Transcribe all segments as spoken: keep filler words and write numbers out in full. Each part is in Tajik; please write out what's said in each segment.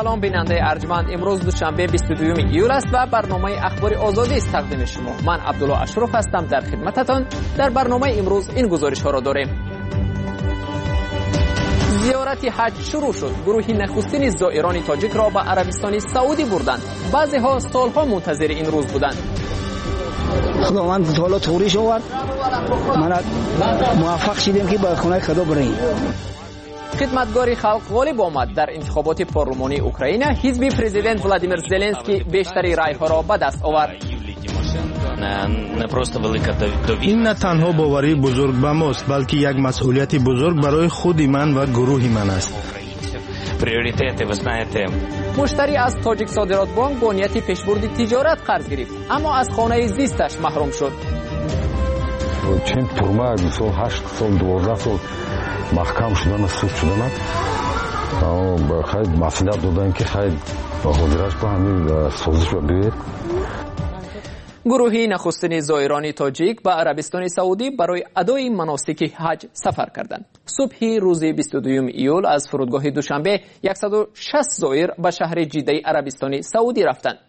Салом, бинандаи арҷманд. Имрӯз душанбе, бисту дуюми июл аст ва барномаи Ахбори Озодӣ аст тақдими шумо. Ман Абдулло Ашроф ҳастам дар хидмататон. Дар барномаи имрӯз ин гузоришҳоро дорем. Зиёрати ҳаҷ шурӯъ шуд. Гурӯҳи нахустини зоирони тоҷикро ба Арабистони Саудӣ бурданд. Баъзеҳо солҳо мунтазири ин рӯз буданд. Худованд таоло туғриш овард, мана муваффақ шидем, ки ба хонаи Худо бирем. Хидматгори халқ ғолиб омад. Дар интихоботи парлумонии Украина ҳизби президент Владимир Зеленский бештари райҳоро ба даст овард. Ин на танҳо боварии бузург ба мост, балки як масъулияти бузург барои худи ман ва гурӯҳи ман аст. Муштарӣ аз Тоҷик Содиротбонк бо нияти пешбурди тиҷорат қарз гирифт, аммо аз хонаи зисташ маҳрум шуд. Чен турма, мисол, ҳашт сол, дувоздаҳ сол маҳкам шудана, суд шудана, хай, маслиҳат доданд, ки хай, ҳозираш ба ҳамин созиш ба биёед. Гурӯҳи нахустини зоирони тоҷик ба Арабистони Саудӣ барои адои маносики ҳаҷ сафар карданд. Субҳи рӯзи бисту дуюми июл аз фурудгоҳи Душанбе яксаду шаст зоир ба шаҳри Ҷиддаи Арабистони Саудӣ рафтанд.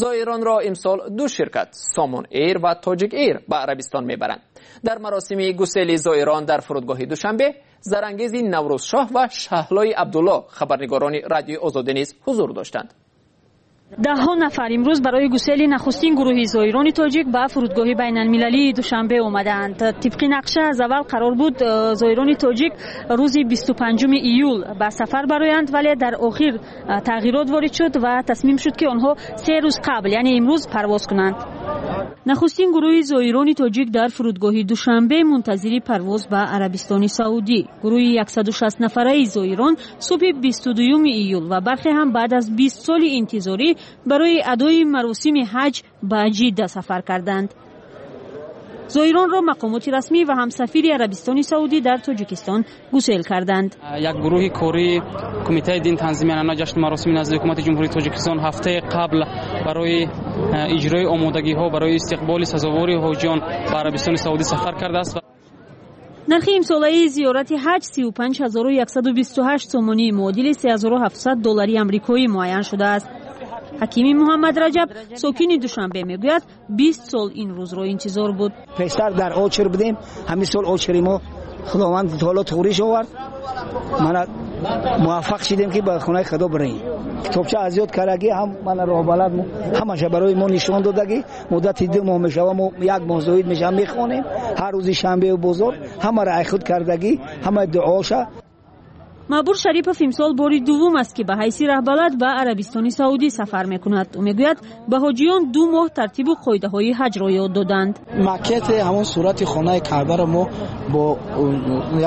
Зоиронро имсол ду ширкат, Сомон Эйр ва Тоҷик Эйр, ба Арабистон мебаранд. Дар маросими гусели зоирон дар фурудгоҳи Душанбе Зарангези Наврӯзшоҳ ва Шаҳлои Абдулло, хабарнигорони Радиои Озодӣ, низ ҳузур доштанд. Даҳҳо нафар имрӯз барои гусели нахустин гурӯҳи зоирони тоҷик ба фурудгоҳи байналмилалии Душанбе омадаанд. Тибқи нақша, аз аввал қарор буд э, зоирони тоҷик рӯзи бисту панҷуми июл ба сафар бароянд, вале дар охир э, тағйирот ворид шуд ва тасмим шуд, ки онҳо се рӯз қабл, яъне имрӯз, парвоз кунанд. Нахустин гурӯҳи зоирони тоҷик дар фурудгоҳи Душанбе мунтазири парвоз ба Арабистони Саудӣ. Гурӯҳи яксаду шаст нафараи зоирон субҳи бисту дуюми июл ва бархе ҳам баъд аз бист соли интизорӣ барои адои маросими ҳаҷ ба Ҷидда сафар карданд. Зоиронро мақомоти расмӣ ва ҳам сафири Арабистони Саудӣ дар Тоҷикистон гусел карданд. Як гурӯҳи кории Кумитаи дин, танзими анъана, ҷашну маросими назди Ҳукумати Ҷумҳурии Тоҷикистон ҳафтаи қабл барои иҷрои омодагиҳо барои истиқболи сазовори ҳоҷиён ба Арабистони Саудӣ сафар кардааст. Нархи имсолаи зиёрати ҳаҷ сию панҷ ҳазору яксаду бисту ҳашт сомонӣ, муодили се ҳазору ҳафтсад доллари амрикоӣ муайян шудааст. Ҳакими Муҳаммад Раҷаб, сокини Душанбе, мегӯяд, бист сол ин рӯзро интизор буд. Пештар дар очер будем, ҳамин сол очери мо Худованд таоло туғриш овард, мана муваффақ шидем, ки ба хонаи Худо бирем. Китобча аз ёд кардагӣ, ҳам мана роҳбалад ҳамаша барои мо нишон додагӣ. Муддати ду моҳ мешава, мо як моҳ зоид мешава, мехонем ҳар рӯзи шанбеу бозор, ҳамаро ай худ кардагӣ, ҳамаи дуоша. Маъбур Шарипов имсол бори дуввум аст, ки ба ҳайси раҳбалад ба Арабистони Саудӣ сафар мекунад. Ӯ мегӯяд, ба ҳоҷиён ду моҳ тартибу қоидаҳои ҳаҷро ёд доданд. Макети ҳамон сурати хонаи Каъбаро мо бо,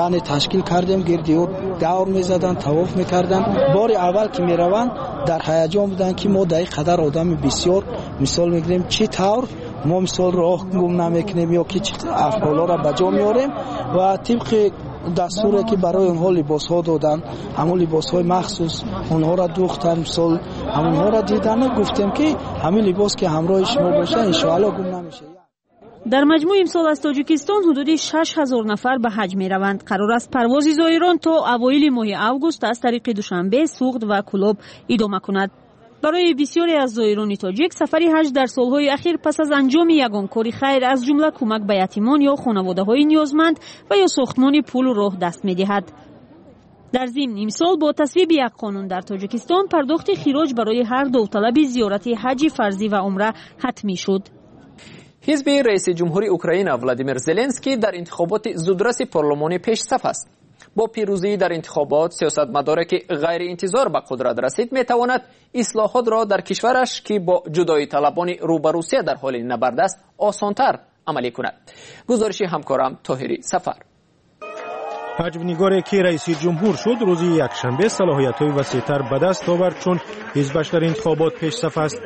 яъне, ташкил кардем, гирди ӯ давр мезаданд, тавоф мекарданд. Бори аввал ки мераванд, дар ҳаяҷон буданд, ки мо дар ин қадар одами бисёр, мисол мегирем, чӣ тавр мо, мисол, роҳ гум намекунем ё ки чӣ афъолҳоро ба ҷо меорем. Ва тибқи дастуре ки барои онҳо либосҳо доданд, ҳамон либосҳои махсус онҳоро дӯхтанд, мисол, ҳамонҳоро дидану гуфтем, ки ҳамин либос ки ҳамроҳи шумо бошад, иншоалло гум намешавад. Дар маҷмӯъ имсол аз Тоҷикистон ҳудуди шаш ҳазор нафар ба ҳаҷ мераванд. Қарор аст парвози зоирон то авоили моҳи август аз тариқи Душанбе, Суғд ва Кӯлоб идома кунад. Барои бисёре аз зоирони тоҷик сафари ҳаҷ дар солҳои ахир пас аз анҷоми ягон кори хайр, аз ҷумла кӯмак ба ятимон ё хонаводаҳои ниёзманд ва ё сохтмони пулу роҳ даст медиҳад. Дар зимн, имсол бо тасвиби як қонун дар Тоҷикистон пардохти хироҷ барои ҳар довталаби зиёрати ҳаҷи фарзӣ ва умра ҳатмӣ шуд. Ҳизби раиси ҷумҳури Украина Владимир Зеленский дар интихоботи зудраси парлумонӣ пешсаф аст. Бо пирӯзӣ дар интихобот сиёсатмадоре, ки ғайриинтизор ба қудрат расид, метавонад ислоҳотро дар кишвараш, ки бо ҷудоиталабони рӯ ба Русия дар ҳоли набард аст, осонтар амалӣ кунад. Гузориши ҳамкорам Тоҳири Сафар. Ҳаҷвнигоре, ки раиси ҷумҳур шуд, рӯзи якшанбе салоҳиятҳои васеътар ба даст овард, чун ҳизбаш дар интихобот пешсаф аст.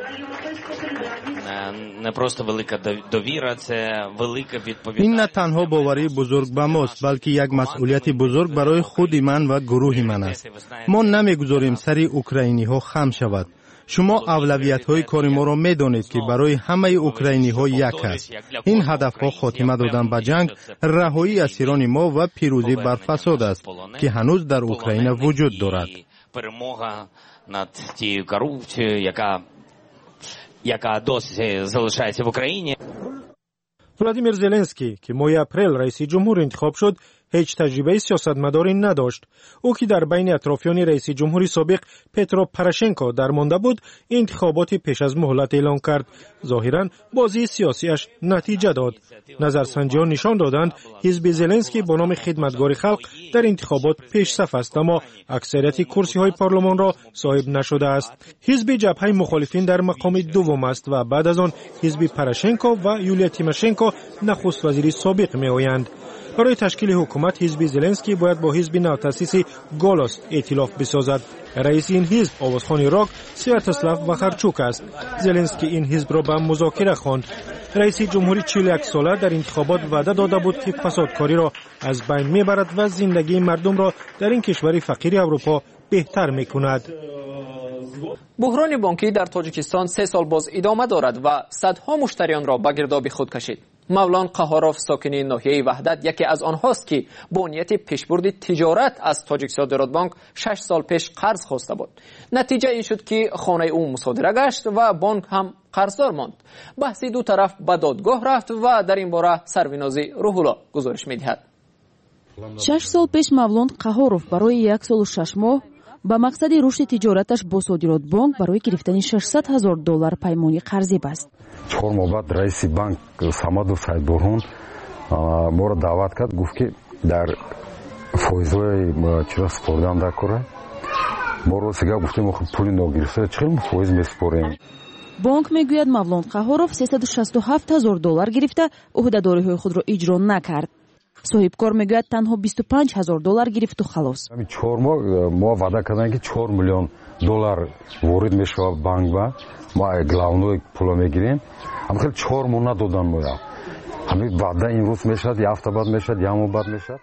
Не просто велика довіра, це велика Ин відповідальність. На танҳо боварии бузург ба мост, балки як масъулияти бузург барои худи ман ва гурӯҳи ман аст. Мо намегузорем сари украиниҳо хам шавад. Шумо авлавиятҳои кори моро медонед, ки барои ҳамаи украиниҳо як аст. Ин ҳадафҳо хотима додан ба ҷанг, раҳоии асирони мо ва пирӯзӣ бар фасод аст, ки ҳанӯз дар Украина вуҷуд дорад. Перемога Над тією корупцією, яка, яка досі залишається в Україні. Владимир Зеленский, ки моҳи апрел раиси ҷумҳур интихоб шуд, ҳеҷ таҷрибаи сиёсатмадорӣ надошт. Ӯ ки дар байни атрофиёни раиси ҷумҳури собиқ Петро Порошенко дармонда буд, интихоботи пеш аз муҳлат эълон кард. Зоҳиран бозии сиёсиаш натиҷа дод. Назарсанҷиҳо нишон доданд, ҳизби Зеленский бо номи Хидматгори халқ дар интихобот пешсаф аст, аммо аксарияти курсиҳои парлумонро соҳиб нашудааст. Ҳизби ҷабҳаи мухолифин дар мақоми дуввум аст ва баъд аз он ҳизби Порошенко ва Юлия Тимошенко, нахуствазири собиқ, меоянд. Барои ташкили ҳукумат ҳизби Зеленский бояд бо ҳизби навтаъсиси Голос эътилоф бисозад. Раиси ин ҳизб овозхони рок Святослав Вахарчук аст. Зеленский ин ҳизбро ба музокира хонд. Раиси ҷумҳури чилу як сола дар интихобот ваъда дода буд, ки фасодкориро аз байн мебарад ва зиндагии мардумро дар ин кишвари фақири Аврупо беҳтар мекунад. Буҳрони бонкӣ дар Тоҷикистон се сол боз идома дорад ва садҳо муштариёнро ба гирдоби худ кашид. Мавлон Қаҳоров, сокини ноҳияи Ваҳдат, яке аз онҳост, ки бо нияти пешбурди тиҷорат аз Тоҷиксодиротбонк шаш сол пеш қарз хоста буд. Натиҷа ин шуд, ки хонаи ӯ мусодира гашт ва бонк ҳам қарздор монд. Баҳси ду тараф ба додгоҳ рафт ва дар ин бора Сарвинози Рӯҳулло гузориш медиҳад. Шаш сол пеш Мавлон Қаҳоров барои як солу шаш моҳ ба мақсади рушди тиҷораташ бо Содиротбонк барои гирифтани шашсад ҳазор доллар паймони қарзӣ баст. Чор моҳ баъд раиси банк Самадов Саидбурҳон моро даъват кард, гуфт, ки дар фоизҳои чиро супордан дар кора. Мо рости гап гуфтем, пули ногирифта чӣ хел фоиз месупорем. Бонк мегӯяд, Мавлон Қаҳоров сесаду шасту ҳафт ҳазор доллар гирифта ӯҳдадориҳои худро иҷро накард. Соҳибкор мегӯяд, танҳо бисту панҷ ҳазор доллар гирифту халос. Чор моҳ мо ваъда карданд, ки чор миллион доллар ворид мешавад банк ба мо, главной пуло мегирем. Ҳама хел чор моҳ надодан моя. Ҳамин ваъда имрӯз мешавад, як ҳафта баъд мешавад, як моҳ баъд мешавад.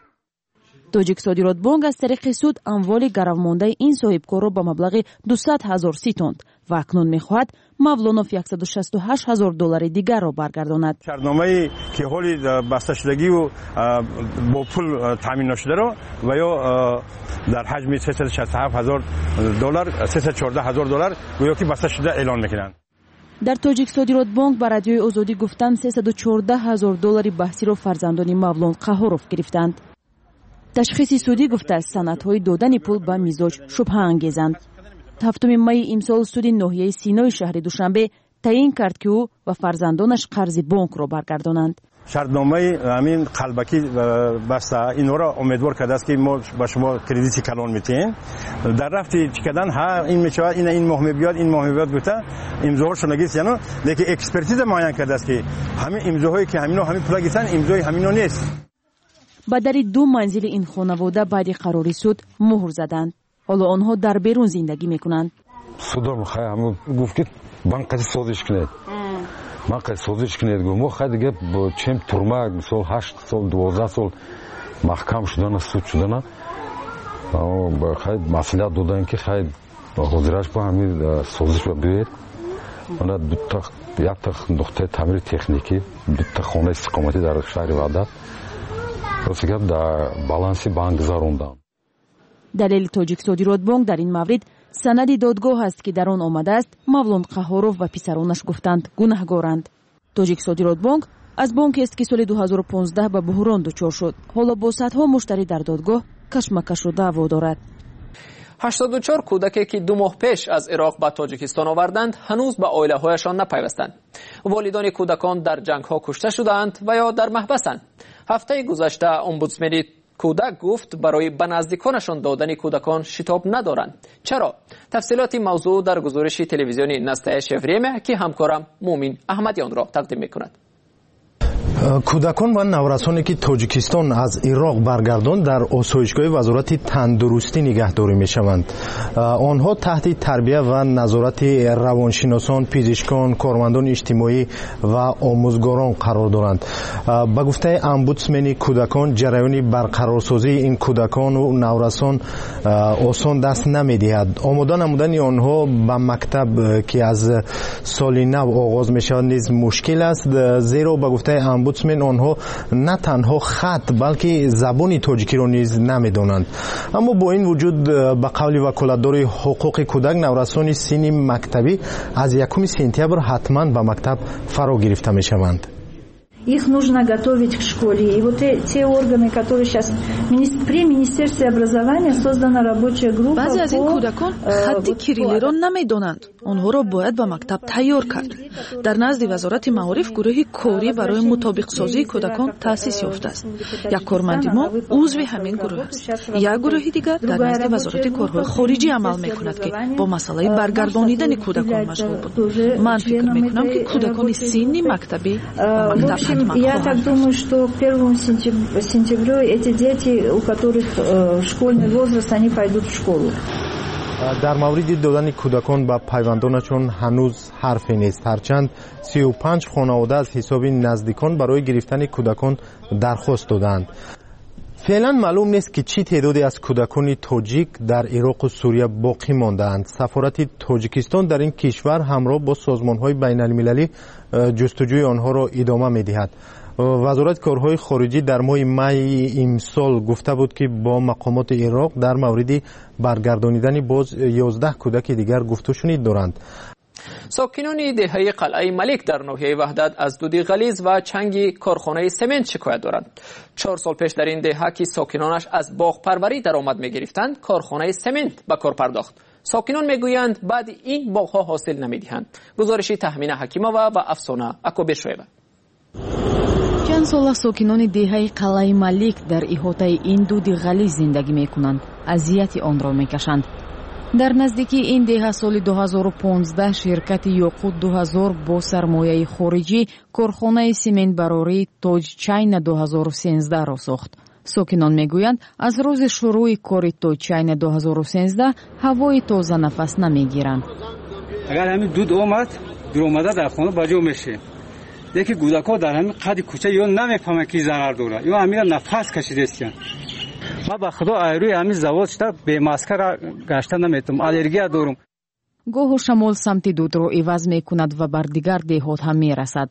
Тоҷиксодиротбонк аз тариқи суд амволи гаравмондаи ин соҳибкорро ба маблағи дусад ҳазор ситонд ва акнун мехоҳад Мавлонов яксаду шасту ҳашт ҳазор доллари дигарро баргардонад. Шартномае ки ҳоли басташудагию бо пул таъмин нашударо ва ё дар ҳаҷми сесаду шасту ҳафт ҳазор доллар, сесаду чордаҳ ҳазор доллар гӯё ки баста шуда эълон мекунанд. Дар Тоҷиксодиротбонк ба Радиои Озодӣ гуфтанд, сесаду чордаҳ ҳазор доллари баҳсиро фарзандони Мавлон Қаҳоров гирифтанд. Ташхиси судӣ гуфтааст, санадҳои додани пул ба мизоҷ шубҳаангезанд. Ҳафтуми майи имсол суди ноҳияи Синои шаҳри Душанбе таъин кард, ки ӯ ва фарзандонаш қарзи бонкро баргардонанд. Шартномаи ҳамин қалбакӣ баста инҳоро умедвор кардааст, ки мо ба шумо кредити калон метиҳем. Дар рафти чӣ кардан, ҳа, ин мешавад, ина ин моҳ мебиёд, ин моҳ мебиёд гуфта имзоҳошро нагирифт, лекин экспертиза муайян кардааст, ки ҳамин имзоҳое ки ҳамино ҳамин пула гирифтанд, имзои ҳамино нест. Ба дари ду манзили ин хонавода баъди қарори суд муҳр заданд. Ҳоло онҳо дар берун зиндагӣ мекунанд. Судам хай ҳамун гуфт, ки банк қади созиш кунед, банк қади созиш кунед. Гуфт, мо хай дига чем турма, мисол, ҳашт сол, дувоздаҳ сол маҳкам шудана, суд шудана, хай маслиҳат доданд, ки хай ҳозираш ба ҳамин созиш ба биёед. Мана дута, якта нуқтаи таъмири техникӣ, дута хонаи истиқоматӣ дар шаҳри Ваҳдат, рости гап, дар баланси банк гузарондам. Далели Тоҷиксодиротбонк дар ин маврид санади додгоҳ аст, ки дар он омадааст, Мавлон Қаҳоров ва писаронаш гуфтанд, гунаҳгоранд. Тоҷиксодиротбонк аз бонкест, ки соли ду ҳазору понздаҳ ба буҳрон дучор шуд. Ҳоло бо садҳо муштарӣ дар додгоҳ кашмакашу даъво дорад. Ҳаштоду чор кӯдаке, ки ду моҳ пеш аз Ироқ ба Тоҷикистон оварданд, ҳанӯз ба оилаҳояшон напайвастанд. Волидони кӯдакон дар ҷангҳо кушта шудаанд ва ё дар маҳбасанд. Ҳафтаи гузашта омбудсмени кӯдак гуфт, барои ба наздиконашон додани кӯдакон шитоб надоранд. Чаро? Тафсилоти мавзӯъ дар гузориши телевизиони Настоящее время, ки ҳамкорам Мумин Аҳмадиёнро тақдим мекунад. Кӯдакон ва наврасоне, ки Тоҷикистон аз Ироқ баргардонд, дар осоишгоҳи Вазорати тандурустӣ нигаҳдорӣ мешаванд. Онҳо таҳти тарбия ва назорати равоншиносон, пизишкон, кормандони иҷтимоӣ ва омӯзгорон қарор доранд. Ба гуфтаи омбудсмени кӯдакон, ҷараёни барқарорсозии ин кӯдакону наврасон осон даст намедиҳад. Омода намудани онҳо ба мактаб, ки аз соли нав оғоз мешавад, низ мушкил аст, зеро ба гуфтаи омбудсмен омбудсмен, онҳо на танҳо хат, балки забони тоҷикиро низ намедонанд. Аммо бо ин вуҷуд, ба қавли ваколатдори ҳуқуқи кӯдак, наврасони синни мактабӣ аз якуми сентябр ҳатман ба мактаб фаро гирифта мешаванд. Их нужно готовить к школе. И вот те органы, которые сейчас при Министерстве образования создана рабочая группа. Баъзе аз ин кӯдакон хатти кириллиро намедонанд. Онҳоро бояд ба мактаб тайёр кард. Дар назди Вазорати маориф гурӯҳи корӣ барои мутобиқсозии кӯдакон таъсис ёфтааст. Як корманди мо узви ҳамин гурӯҳ аст. Як гурӯҳи дигар дар назди Вазорати корҳои хориҷӣ амал мекунад, ки бо масъалаи баргардонидани кӯдакон машғул буд. Ман фикр мекунам, ки кӯдакони синни мактабӣ ба мактаб Я так думаю, что к первому сентябрю эти дети, у которых школьный возраст, они пойдут в школу. Дар мавриди додани кӯдакон ба пайвандонашон ҳанӯз ҳарфе нест. Ҳарчанд сию панҷ хонавода аз ҳисоби наздикон барои гирифтани кӯдакон дархост додаанд. Феълан маълум нест, ки чӣ теъдоде аз кӯдакони тоҷик дар Ироқу Сурия боқӣ мондаанд. Сафорати Тоҷикистон дар ин кишвар ҳамроҳ бо созмонҳои байналмилалӣ ҷустуҷӯи онҳоро идома медиҳад. Вазорати корҳои хориҷӣ дар моҳи майи имсол гуфта буд, ки бо мақомоти Ироқ дар мавриди баргардонидани боз ёздаҳ кӯдаки дигар гуфтушунид доранд. Сокинони деҳаи Қалъаи Малик дар ноҳияи Ваҳдат аз дуди ғализ ва чанги корхонаи семент шикоят доранд. Чор сол пеш дар ин деҳа, ки сокинонаш аз боғпарварӣ даромад мегирифтанд, корхонаи семент ба кор пардохт. Сокинон мегӯянд, баъди ин боғҳо ҳосил намедиҳанд. Гузориши Таҳмина Ҳакимова ва Афсона Акобиршоева. Чанд сола сокинони деҳаи Қалъаи Малик дар иҳотаи ин дуди ғализ зиндагӣ мекунанд, азияти онро мекашанд. Дар наздикии ин деҳа соли ду ҳазору понздаҳ ширкати Ёқут ду ҳазор бо сармояи хориҷӣ корхонаи сементбарории Тоҷ Чайна ду ҳазору сенздаҳро сохт. Сокинон мегӯянд, аз рӯзи шурӯи кори Тоҷ Чайна ду ҳазору сенздаҳ ҳавои тоза нафас намегиранд. Агар ҳамин дуд омад, дуромада дар хона ба ҷо мешем. Яке кӯдакҳо дар ҳамин қади кӯча ё намефаҳманд, ки зарар дорад, ё ҳаминро нафас кашидастанд. Ман ба худо айрӯи ҳамин завод шуда бемаска гашта наметавонам, аллергия дорам. Гоҳу шамол самти дудро иваз мекунад ва бар дигар деҳот ҳам мерасад.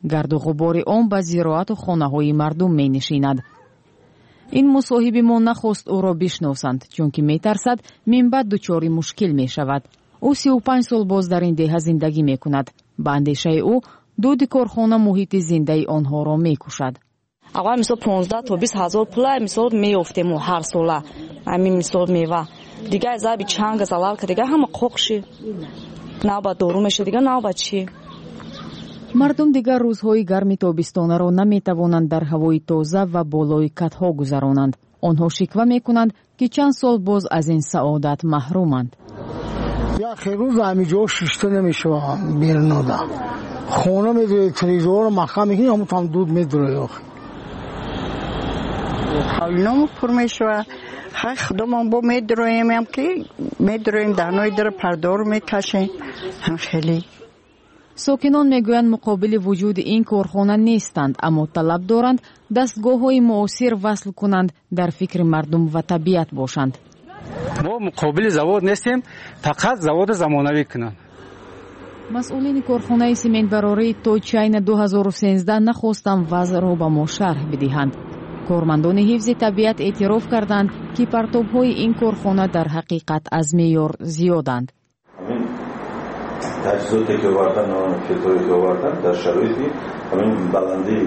Гарду ғубори он ба зироату хонаҳои мардум менишинад. Ин мусоҳиби мо нахост ӯро бишносанд, чунки метарсад минбаъд дучори мушкил мешавад. Ӯ сию панҷ сол боз дар ин деҳа зиндагӣ мекунад. Ба андешаи ӯ, дуди корхона муҳити зиндаи онҳоро мекушад. Аввал мисол понздаҳ то бист ҳазор пула мисол меёфтем ҳар сола, ҳамин мисол мева. Дигар заби чанг залал ка дигар ҳама қоқши. Навбат дору меша, дигар навбат чӣ? Мардум дигар рӯзҳои гарми тобистонаро наметавонанд дар ҳавои тоза ва болои катҳо гузаронанд. Онҳо шиква мекунанд, ки чанд сол боз аз ин саодат маҳруманд. Як рӯз ҳамин ҷо шишта намешавад берунода. Хона медуред, телевизорро маҳкам мекунӣ, ҳамон там дуд медуред. Ҳавлиномо пур мешавад. Хай худомон бо медуроем, ки медуроем, даҳнои дара пардору мекашем. Ҳам хеле. Сокинон мегӯянд, муқобили вуҷуди ин корхона нестанд, аммо талаб доранд дастгоҳҳои муосир васл кунанд, дар фикри мардум ва табиат бошанд. Мо муқобили завод нестем, фақат заводи замонавӣ кунанд. Масъулини корхонаи сементбарории Тоҷ Чайна ду ҳазору сенздаҳ нахостанд вазъро ба мо шарҳ бидиҳанд. Кормандони ҳифзи табиат эътироф карданд, ки партобҳои ин корхона дар ҳақиқат аз меъёр зиёданд. Таҷҳизоте ки овардан, филтрое ки овардан дар шароити ҳамин баландии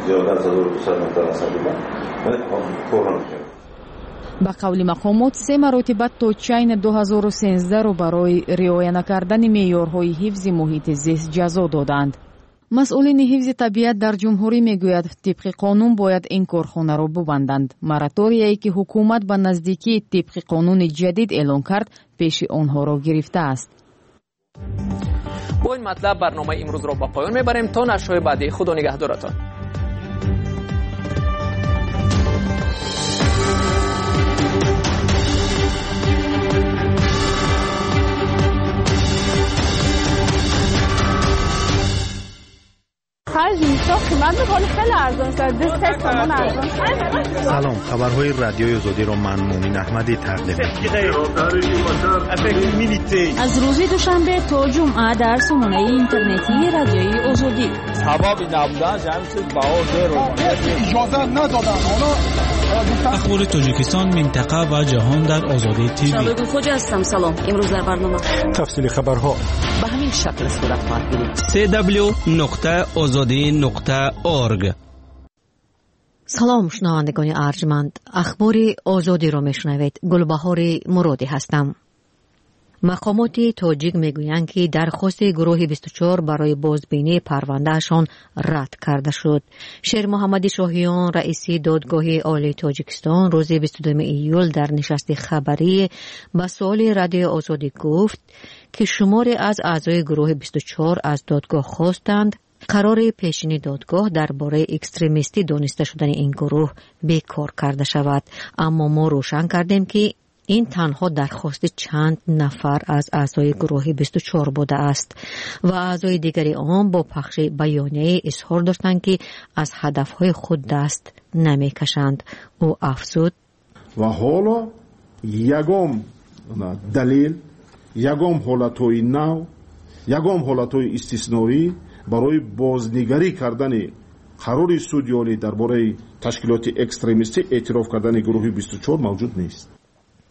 зиёда аз ҳазору дусад метр аз сатҳи баҳр кор намекард. Ба қавли мақомот, се маротиба Тоҷ Чайна ду ҳазору сенздаҳро барои риоя накардани меъёрҳои ҳифзи муҳити зист ҷазо доданд. Масъулини ҳифзи табиат дар ҷумҳурӣ мегӯяд, тибқи қонун бояд ин корхонаро бубанданд. Мораторияе ки ҳукумат ба наздикии тибқи қонуни ҷадид эълон кард, пеши онҳоро гирифтааст. Бо ин матлаб барномаи имрӯзро ба поён мебарем. То нашрҳои баъдӣ худо нигаҳдоратон. Ҳаҷ Зимистон қимат буд, ҳоли хеле арзон шуд. Ду се сомон арзон шуд. Салом, хабарҳои Радиои Озодиро ман Мумин Аҳмадӣ тақдим мекунам. Аз рӯзи душанбе то ҷумъа дар сомонаи интернетии Радиои Озодӣ. Сабаби набудан ҳамин чиз баҳо зеро. Иҷоза надоданд. Оно Ахбори Тоҷикистон, минтақа ва ҷаҳон дар Озодӣ ТВ. Шалои ҳастам. Салом. Имрӯз дар барнома тафсили хабарҳо ба ҳамин шакл сурат хоҳад гирифт. си дабл-ю нуқта озодӣ нуқта орг. Салом, шунавандагони арҷманд. Ахбори Озодиро мешунавед. Гулбаҳори Муродӣ ҳастам. Мақомоти тоҷик мегӯянд, ки дархости гурӯҳи бисту чор барои бозбинии парвандаашон рад карда шуд. Шермуҳаммади Шоҳиён, раиси Додгоҳи Олии Тоҷикистон, рӯзи бисту дуюми июл дар нишасти хабарӣ ба суоли Радиои Озодӣ гуфт, ки шуморе аз аъзои гурӯҳи бисту чор аз додгоҳ хостанд қарори пешини додгоҳ дар бораи экстремистӣ дониста шудани ин гурӯҳ бекор карда шавад. Аммо мо рӯшан кардем, ки ин танҳо дархости чанд нафар аз аъзои гурӯҳи бисту чор будааст ва аъзои дигари он бо пахши баёнияе изҳор доштанд, ки аз ҳадафҳои худ даст намекашанд. Ӯ афзуд: ва ҳоло ягон далел, ягон ҳолатҳои нав, ягон ҳолатҳои истисноӣ барои бознигарӣ кардани қарори суди олӣ дар бораи ташкилоти экстремистӣ эътироф кардани гурӯҳи бисту чор мавҷуд нест.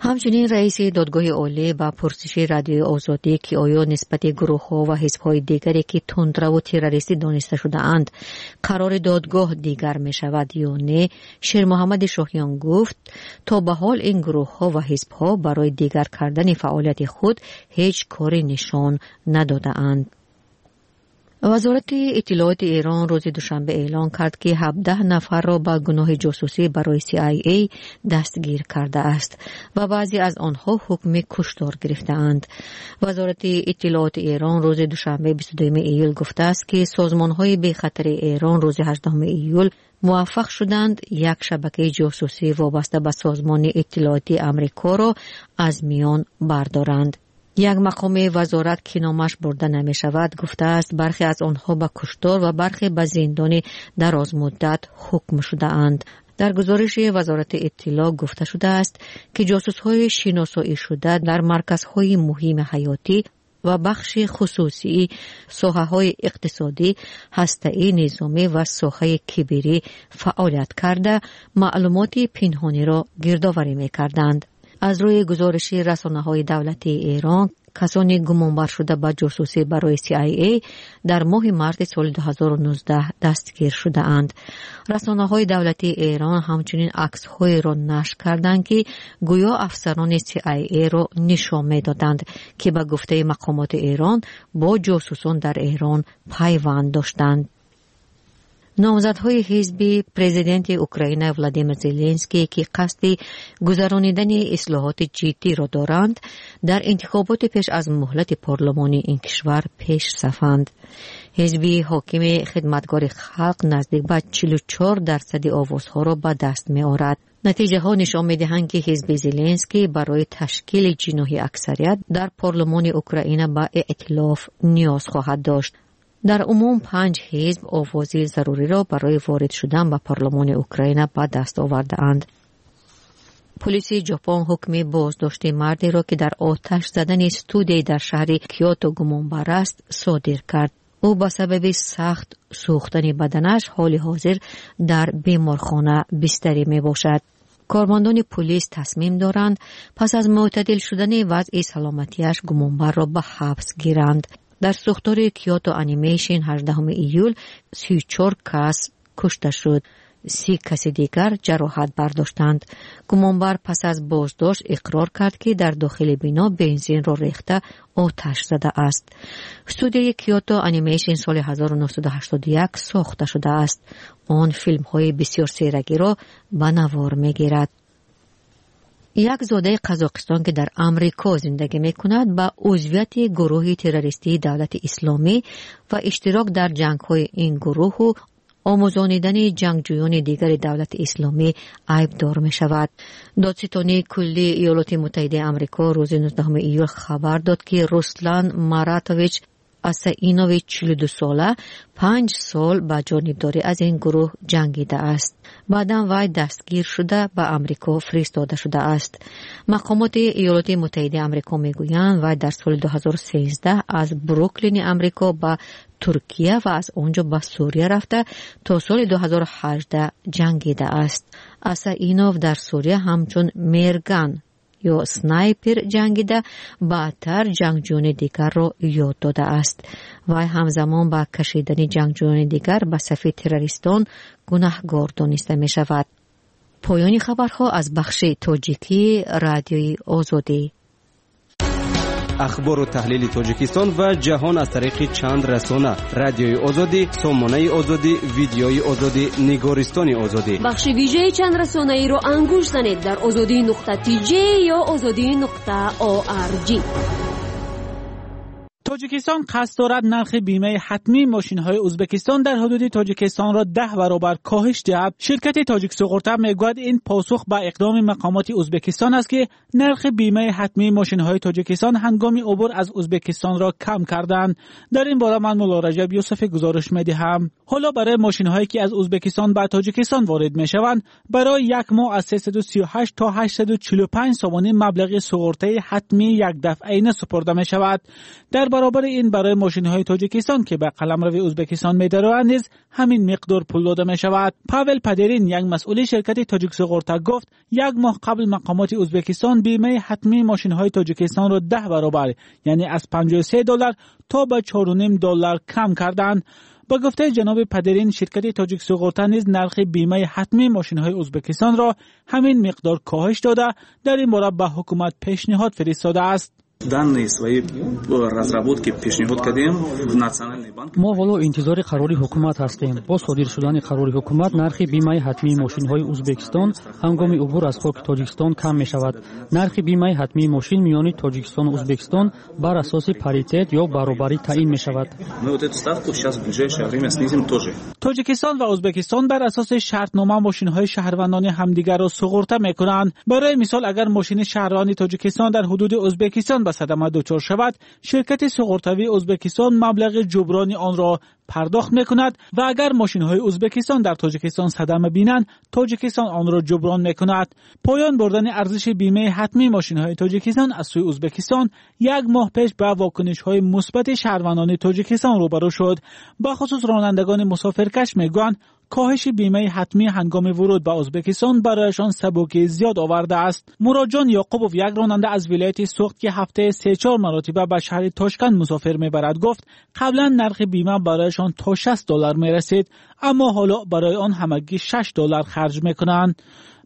Ҳамчунин раиси Додгоҳи Олӣ ба пурсиши Радиои Озодӣ, ки оё нисбати гурӯҳҳо ва ҳизбҳои дигаре, ки тундраву террористӣ дониста шудаанд, қарори додгоҳ дигар мешавад ё не, Шермуҳаммади Шоҳиён гуфт, то ба ҳол ин гурӯҳҳо ва ҳизбҳо барои дигар кардани фаъолияти худ ҳеҷ кори нишон надодаанд. Вазорати иттилооти Эрон рӯзи душанбе эълон кард, ки ҳабдаҳ нафарро ба гуноҳи ҷосусӣ барои Си Ай Эй дастгир кардааст ва баъзе аз онҳо ҳукми куштор гирифтаанд. Вазорати иттилооти Эрон рӯзи душанбе бисту дуюми июл гуфтааст, ки созмонҳои бехатари Эрон рӯзи ҳаждаҳуми июл муваффақ шуданд як шабакаи ҷосусӣ вобаста ба созмони иттилоотии Амрикоро аз миён бардоранд. Як мақоми вазорат, ки номаш бурда намешавад, гуфтааст, бархе аз онҳо ба куштор ва бархе ба зиндони дарозмуддат ҳукм шудаанд. Дар гузориши вазорати иттилоъ гуфта шудааст, ки ҷосусҳои шиносоӣ шуда дар марказҳои муҳими ҳаётӣ ва бахши хусусии соҳаҳои иқтисодӣ, ҳастаӣ, низомӣ ва соҳаи киберӣ фаъолият карда, маълумоти пинҳониро гирдоварӣ мекарданд. Аз рӯи гузориши расонаҳои давлатии Эрон, касони гумонбар шуда ба ҷосусӣ барои Си Ай Эй дар моҳи марти соли ду ҳазору нуздаҳ дастгир шудаанд. Расонаҳои давлатии Эрон ҳамчунин аксҳоеро нашр карданд, ки гӯё афсарони Си Ай Эйро нишон медоданд, ки ба гуфтаи мақомоти Эрон бо ҷосусон дар Эрон пайванд доштанд. Номзадҳои ҳизби президенти Украина Владимир Зеленский, ки қасди гузаронидани ислоҳоти ҷиддиро доранд, дар интихоботи пеш аз муҳлати парлумонии ин кишвар пешсафанд. Ҳизби ҳокими Хидматгори халқ наздик ба чилу чор дарсади овозҳоро ба даст меорад. Натиҷаҳо нишон медиҳанд, ки ҳизби Зеленский барои ташкили ҷиноҳи аксарият дар парлумони Украина ба эътилоф ниёз хоҳад дошт. Дар умум панҷ ҳизб овози заруриро барои ворид шудан ба парлумони Украина ба даст овардаанд. Полиси Ҷопон ҳукми боздошти мардеро, ки дар оташ задани студияи дар шаҳри Киото гумонбар аст, содир кард. Ӯ ба сабаби сахт сӯхтани баданаш ҳоли ҳозир дар беморхона бистарӣ мебошад. Кормандони пулис тасмим доранд пас аз мӯътадил шудани вазъи саломатиаш гумонбарро ба ҳабс гиранд. Дар сӯхтори Киото Анимейшн ҳаждаҳуми июл сию чор кас кушта шуд, си каси дигар ҷароҳат бардоштанд. Гумонбар пас аз боздошт иқрор кард, ки дар дохили бино бензинро рехта оташ задааст. Студияи Киото Анимейшн соли ҳазору нӯҳсаду ҳаштоду як сохта шудааст. Он филмҳои бисёр серагиро ба навор мегирад. Як зодаи Қазоқистон, ки дар Амрико зиндагӣ мекунад, ба узвияти гурӯҳи террористии Давлати Исломӣ ва иштирок дар ҷангҳои ин гурӯҳу омӯзонидани ҷангҷӯёни дигари Давлати Исломӣ айбдор мешавад. Додситонии куллии Иёлоти Муттаҳидаи Амрико рӯзи нуздаҳуми июл хабар дод, ки Руслан Маратович Асаинови чилу дусола панҷ сол ба ҷонибдорӣ аз ин гурӯҳ ҷангидааст. Баъдан вай дастгир шуда ба Амрико фиристода шудааст. Мақомоти Иёлоти Муттаҳидаи Амрико мегӯянд, вай дар соли ду ҳазору сездаҳ аз Бруклини Амрико ба Туркия ва аз он ҷо ба Сурия рафта то соли ду ҳазору ҳаждаҳ ҷангидааст. Асаинов дар Сурия ҳамчун мерган ё снайпер ҷангида, баъдтар ҷангҷӯёни дигарро ёд додааст. Вай ҳамзамон ба кашидани ҷангҷӯёни дигар ба сафи террористон гунаҳгор дониста мешавад. Поёни хабарҳо аз бахши тоҷикии Радиои Озодӣ. Ахбору таҳлили Тоҷикистон ва ҷаҳон аз тариқи чанд расона: Радиои Озодӣ, Сомонаи Озодӣ, Видеои Озодӣ, Нигористони Озодӣ. Бахши вижаи чанд расонаиро ангуш занед дар озодӣ нуқта тж ё озодӣ нуқта орг. Тоҷикистон қасд дорад нархи бимаи ҳатмии мошинҳои Ӯзбекистон дар ҳудуди Тоҷикистонро даҳ баробар коҳиш диҳад. Ширкати Тоҷиксуғурта мегӯяд, ин посух ба иқдоми мақомоти Ӯзбекистон аст, ки нархи бимаи ҳатмии мошинҳои Тоҷикистон ҳангоми убур аз Ӯзбекистонро кам карданд. Дар ин бора ман Мулло Раҷаб Юсуфӣ гузориш медиҳам. Ҳоло барои мошинҳое ки аз Ӯзбекистон ба Тоҷикистон ворид мешаванд, барои як моҳ аз сесаду сию ҳашт то ҳаштсаду чилу панҷ сомонӣ маблағи суғуртаи ҳатмии якдафъаина супурда мешавад. Дар баробари ин барои мошинҳои Тоҷикистон ки ба қаламрави Ӯзбекистон медароянд низ ҳамин миқдор пул дода мешавад. Павел Падерин, як масъули ширкати Тоҷиксуғурта, гуфт як моҳ қабл мақомоти Ӯзбекистон бимаи ҳатмии мошинҳои Тоҷикистонро даҳ баробар, яъне аз панҷоҳу се доллар то ба чору ним доллар кам карданд. Ба гуфтаи ҷаноби Падерин, ширкати Тоҷиксуғурта низ нархи бимаи ҳатмии мошинҳои Ӯзбекистонро ҳамин миқдор коҳиш дода, дар ин бора ба ҳукумат пешниҳод фиристодааст. Данные свои разработки пешниҳод кардем в Национальный банк. Мо ҳоло интизори қарори ҳукумат ҳастем. Бо содир шудани қарори ҳукумат нархи бимаи ҳатмии мошинҳои Ӯзбекистон ҳангоми убур аз хоки Тоҷикистон кам мешавад. Нархи бимаи ҳатмии мошин миёни Тоҷикистону Ӯзбекистон бар асоси паритет ё баробарӣ таъин мешавад. Мы вот эту ставку сейчас в ближайшее время снизим тоже. Тоҷикистон ва Ӯзбекистон бар асоси шартнома мошинҳои шаҳрвандони ҳамдигарро суғурта мекунанд. Барои мисол, агар мошини шаҳрванди Тоҷикистон дар ҳудуди Ӯзбекистон ба садама дучор шавад, ширкати суғуртавии Ӯзбекистон маблағи ҷуброни онро пардохт мекунад ва агар мошинҳои Ӯзбекистон дар Тоҷикистон садама бинанд, Тоҷикистон онро ҷуброн мекунад. Поён бурдани арзиши бимаи ҳатмии мошинҳои Тоҷикистон аз сӯи Ӯзбекистон як моҳ пеш ба вокунишҳои мусбати шаҳрвандони Тоҷикистон рӯбарӯ шуд. Бахусус ронандагони мусофиркаш мегӯянд, коҳиши бимаи ҳатмӣ ҳангоми вуруд ба Ӯзбекистон барояшон сабукии зиёд овардааст. Муроҷон Ёқубов, як ронанда аз вилояти Суғд, ки ҳафтаи се-чор маротиба ба шаҳри Тошканд мусофир мебарад, гуфт қаблан нархи бима барояшон то шаст доллар мерасид, аммо ҳоло барои он ҳамагӣ шаш доллар харҷ мекунанд.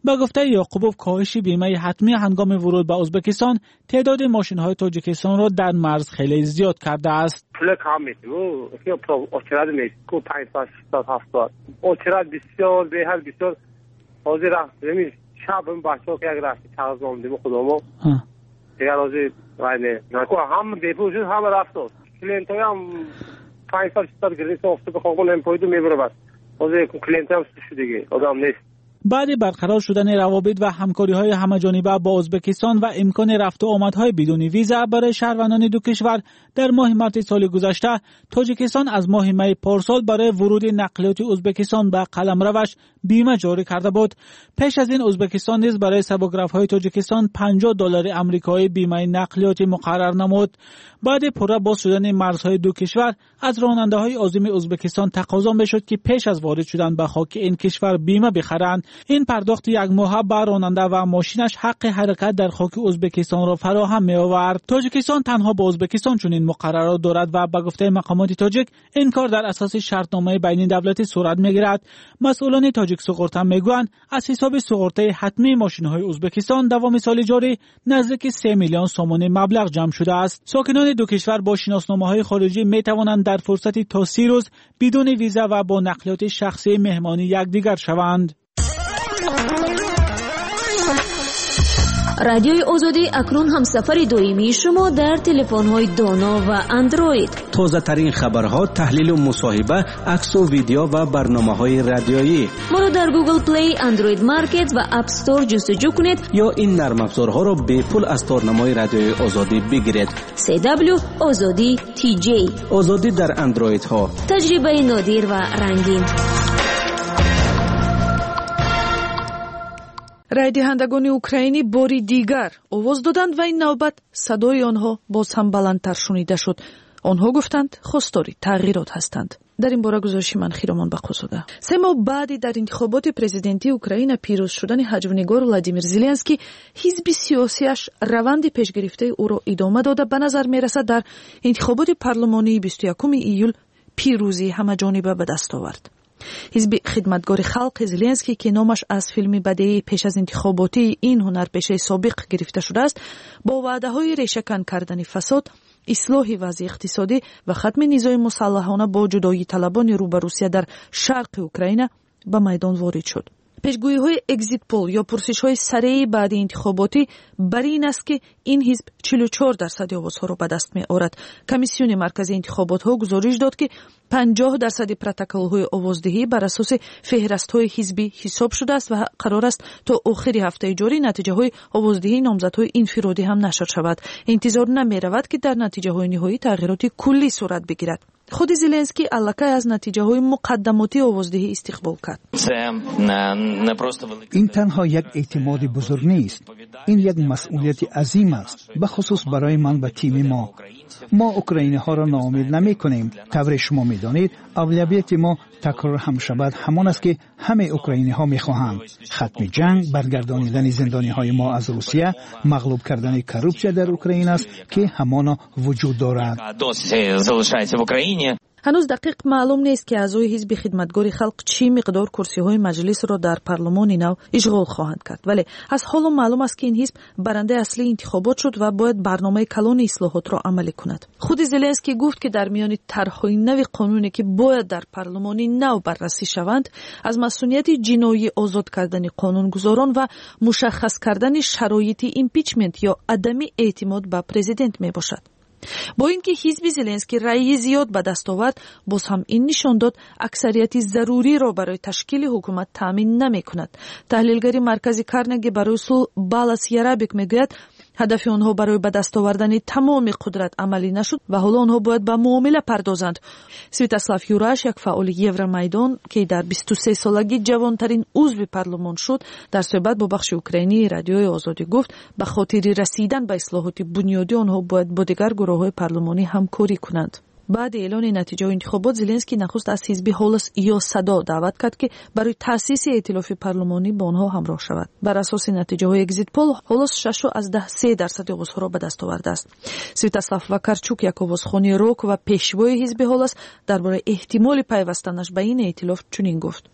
Ба гуфтаи Ёқубов, коҳиши бимаи ҳатмӣ ҳангоми вуруд ба Ӯзбекистон теъдоди мошинҳои Тоҷикистонро дар марз хеле зиёд кардааст. Пул кам метем, очерад мекун панҷсад, шашсад, ҳафтсад. Очерад бисёр, беҳад бисёр. Ҳозир рафтем, шаб бачаҳо як рафти қағаз номдем худамо. Дигар ҳозир вай не. Ҳама бепул шуд, ҳама рафт. Клиентҳоям панҷсад, шашсад гирифта, офту бихоҳон эмпоиду мебарад. Ҳозир клиентҳоям шуд дига, одам нест. баъди барқарор шудани равобит ва ҳамкориҳои ҳамаҷониба бо Ӯзбекистон ва имкони рафту омадҳои бидуни виза барои шаҳрвандони ду кишвар дар моҳи марти соли гузашта, Тоҷикистон аз моҳи майи порсол барои вуруди нақлиёти Ӯзбекистон ба қаламраваш бима ҷорӣ карда буд. Пеш аз ин Ӯзбекистон низ барои сабукрафҳои Тоҷикистон панҷоҳ доллари амрикоӣ бимаи нақлиётӣ муқаррар намуд. Баъди пурра боз шудани марзҳои ду кишвар аз ронандаҳои озими Ӯзбекистон тақозо мешуд, ки пеш аз ворид шудан ба хоки ин кишвар бима бихаранд. Ин пардохти якмоҳа ба ронанда ва мошинаш ҳаққи ҳаракат дар хоки Ӯзбекистонро фароҳам меовард. Тоҷикистон танҳо бо Ӯзбекистон чунин муқаррарот дорад ва ба гуфтаи мақомоти тоҷик ин кор дар асоси шартномаи байнидавлатӣ сурат мегирад. Масъулони тоҷик суғурта мегӯянд, аз ҳисоби суғуртаи ҳатмии мошинҳои Ӯзбекистон давоми соли ҷорӣ наздики се миллион сомонӣ маблағ ҷамъ шудааст. Сокинони ду кишвар бо шиносномаҳои хориҷӣ метавонанд дар фурсати то си рӯз бидуни виза ва бо нақлиёти шахсии меҳмонӣ якдигар шаванд. Радиои Озодӣ акнун ҳамсафари доимии шумо дар телефонҳои доно ва андроид. Тозатарин хабарҳо, таҳлилу мусоҳиба, аксу видео ва барномаҳои радиоӣ. Моро дар Google Play, Android Market ва App Store ҷустуҷӯ кунед ё ин нармафзорҳоро бепул аз торнамои Радиои Озодӣ бигиред. си дабл ю Озодӣ ти ҷей. Озодӣ дар андроидҳо. Таҷрибаи нодир ва рангин. Райдиҳандагони украинӣ бори дигар овоз доданд ва ин навбат садои онҳо боз ҳам баландтар шунида шуд. Онҳо гуфтанд, хостори тағйирот ҳастанд. Дар ин бора гузориши ман Хиромон Бақозода. Се моҳ баъди дар интихоботи президентии Украина пирӯз шудани ҳаҷвнигор Владимир Зеленский, ҳизби сиёсиаш раванди пешгирифтаи ӯро идома дода, ба назар мерасад дар интихоботи парлумонии бисту якуми июл пирӯзии ҳамаҷониба ба даст овард. Ҳизби хидматгори халқи Зеленский, ки номаш аз филми бадеии пеш аз интихоботии ин ҳунарпешаи собиқ гирифта шудааст, бо ваъдаҳои решакан кардани фасод, ислоҳи вазъи иқтисодӣ ва хатми низои мусаллаҳона бо ҷудоиталабони рӯ ба Русия дар шарқи Украина ба майдон ворид шуд. Пешгӯиҳои экзитпол ё пурсишҳои сареи баъди интихоботӣ бар ин аст, ки ин ҳизб чилу чор дарсади овозҳоро ба даст меорад. Комиссиони марказии интихоботҳо гузориш дод, ки панҷоҳ дарсади протоколҳои овоздиҳӣ бар асоси феҳрастҳои ҳизбӣ ҳисоб шудааст ва қарор аст то охири ҳафтаи ҷорӣ натиҷаҳои овоздиҳии номзадҳои инфиродӣ ҳам нашр шавад. Интизор намеравад, ки дар натиҷаҳои ниҳоӣ тағйироти куллӣ сурат бигирад. Худи Зеленский аллакай аз натиҷаҳои муқаддамотии овоздиҳӣ истиқбол кард. Ин танҳо як эътимоди бузург нест, ин як масъулияти азим аст, бахусус барои ман ва тими мо. Мо украиниҳоро ноумед намекунем. Тавре шумо медонед, авлавияти мо такрор ҳам шавад ҳамон аст, ки ҳамаи украиниҳо мехоҳанд: хатми ҷанг, баргардонидани зиндониҳои мо аз Русия, мағлуб кардани коррупсия дар Украина аст, ки ҳамоно вуҷуд дорад. Ҳанӯз дақиқ маълум нест, ки аъзои ҳизби хидматгори халқ чӣ миқдор курсиҳои маҷлисро дар парлумони нав ишғол хоҳанд кард, вале аз ҳоло маълум аст, ки ин ҳизб барандаи аслии интихобот шуд ва бояд барномаи калони ислоҳотро амалӣ кунад. Худи Зеленский гуфт, ки дар миёни тарҳҳои нави қонуне, ки бояд дар парлумони нав баррасӣ шаванд, аз масунияти ҷиноӣ озод кардани қонунгузорон ва мушаххас кардани шароити импичмент ё адами эътимод ба президент мебошад. Бо ин ки ҳизби Зеленский раъйи зиёд ба даст овард, боз ҳам ин нишон дод аксарияти заруриро барои ташкили ҳукумат таъмин намекунад. Таҳлилгари маркази Карнеги барои сулҳ Балас Ярабик мегӯяд, ҳадафи онҳо барои ба даст овардани тамоми қудрат амалӣ нашуд ва ҳоло онҳо бояд ба муомила пардозанд. Святослав Юраш, як фаъоли Евромайдон, ки дар бисту се солагӣ ҷавонтарин узви парлумон шуд, дар суҳбат бо бахши украинии Радиои Озодӣ гуфт, ба хотири расидан ба ислоҳоти бунёдӣ онҳо бояд бо дигар гурӯҳҳои парлумонӣ ҳамкорӣ кунанд. Баъди эълони натиҷаҳои интихобот, Зеленский нахуст аз ҳизби Ҳолос ё Садо даъват кард, ки барои таъсиси эътилофи парлумонӣ бо онҳо ҳамроҳ шавад. Бар асоси натиҷаҳои экзитпол, Ҳолос шашу аз даҳ се дарсади овозҳоро ба даст овардааст. Святослав Вакарчук, як овозхони рок ва пешвои ҳизби Ҳолос, дар бораи эҳтимоли пайвастанаш ба ин эътилоф чунин гуфт: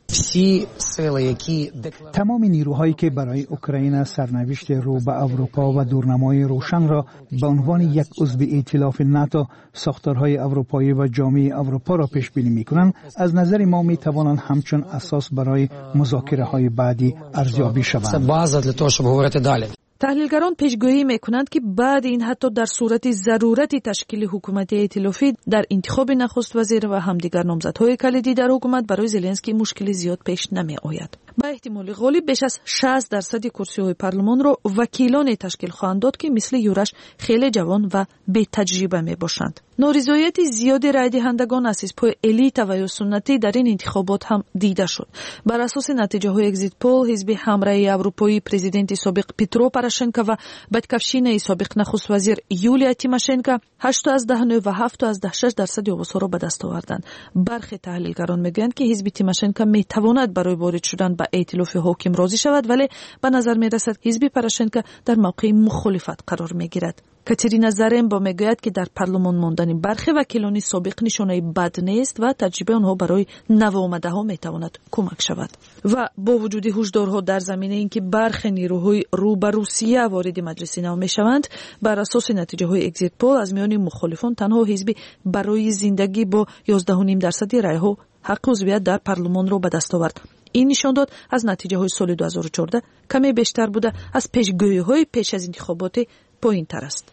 Тамоми нерӯҳое, ки барои Украина сарнавишти рӯ ба Аврупо ва дурнамои рӯшанро ба унвони як узви эътилофи НАТО, сохторҳои аврупоӣ ва ҷомеаи Аврупоро пешбинӣ мекунанд, аз назари мо метавонанд ҳамчун асос барои музокираҳои баъдӣ арзёбӣ шаванд. Таҳлилгарон пешгӯӣ мекунанд, ки баъди ин ҳатто дар сурати зарурати ташкили ҳукумати эътилофӣ дар интихоби нахуствазир ва ҳамдигар номзадҳои калидӣ дар ҳукумат барои Зеленский мушкили зиёд пеш намеояд. Ба эҳтимоли ғолиб беш аз шаст дарсади курсиҳои парлумонро вакилоне ташкил хоҳанд дод, ки мисли Юраш хеле ҷавон ва бетаҷриба мебошанд. Норизояти зиёди райдиҳандагон аз ҳизбҳои элита ва ё суннатӣ дар ин интихобот ҳам дида шуд. Бар асоси натиҷаҳои экзитпол, ҳизби ҳамраҳи аврупоии президенти собиқ Петро Порошенко ва Батькавщинаи собиқ нахуствазир Юлия Тимошенко ҳашту аз даҳ нӯҳ ва ҳафту аз даҳ шаш дарсади овозҳоро ба даст оварданд. Бархе таҳлилгарон мегӯянд, ки ҳизби Тимошенко метавонад барои ворид шудан ба эътилофи ҳоким розӣ шавад, вале ба назар мерасад ҳизби Порошенко дар мавқеи мухолифат қарор мегирад. Катерина Зарембо мегӯяд, ки дар парлумон мондани бархе вакилони собиқ нишонаи бад нест ва таҷрибаи онҳо барои навомадаҳо метавонад кӯмак шавад. Ва бо вуҷуди ҳушдорҳо дар заминаи ин ки бархе нерӯҳои рӯ ба Русия вориди маҷлиси нав мешаванд, бар асоси натиҷаҳои экзитпол аз миёни мухолифон танҳо ҳизби барои зиндагӣ бо ёздаҳу ним дарсади райҳо ҳаққи узвият дар парлумонро ба даст овард. Ин нишондод аз натиҷаҳои соли ду ҳазору чордаҳ каме бештар буда, аз пешгӯиҳои пеш аз интихоботи поинтар аст.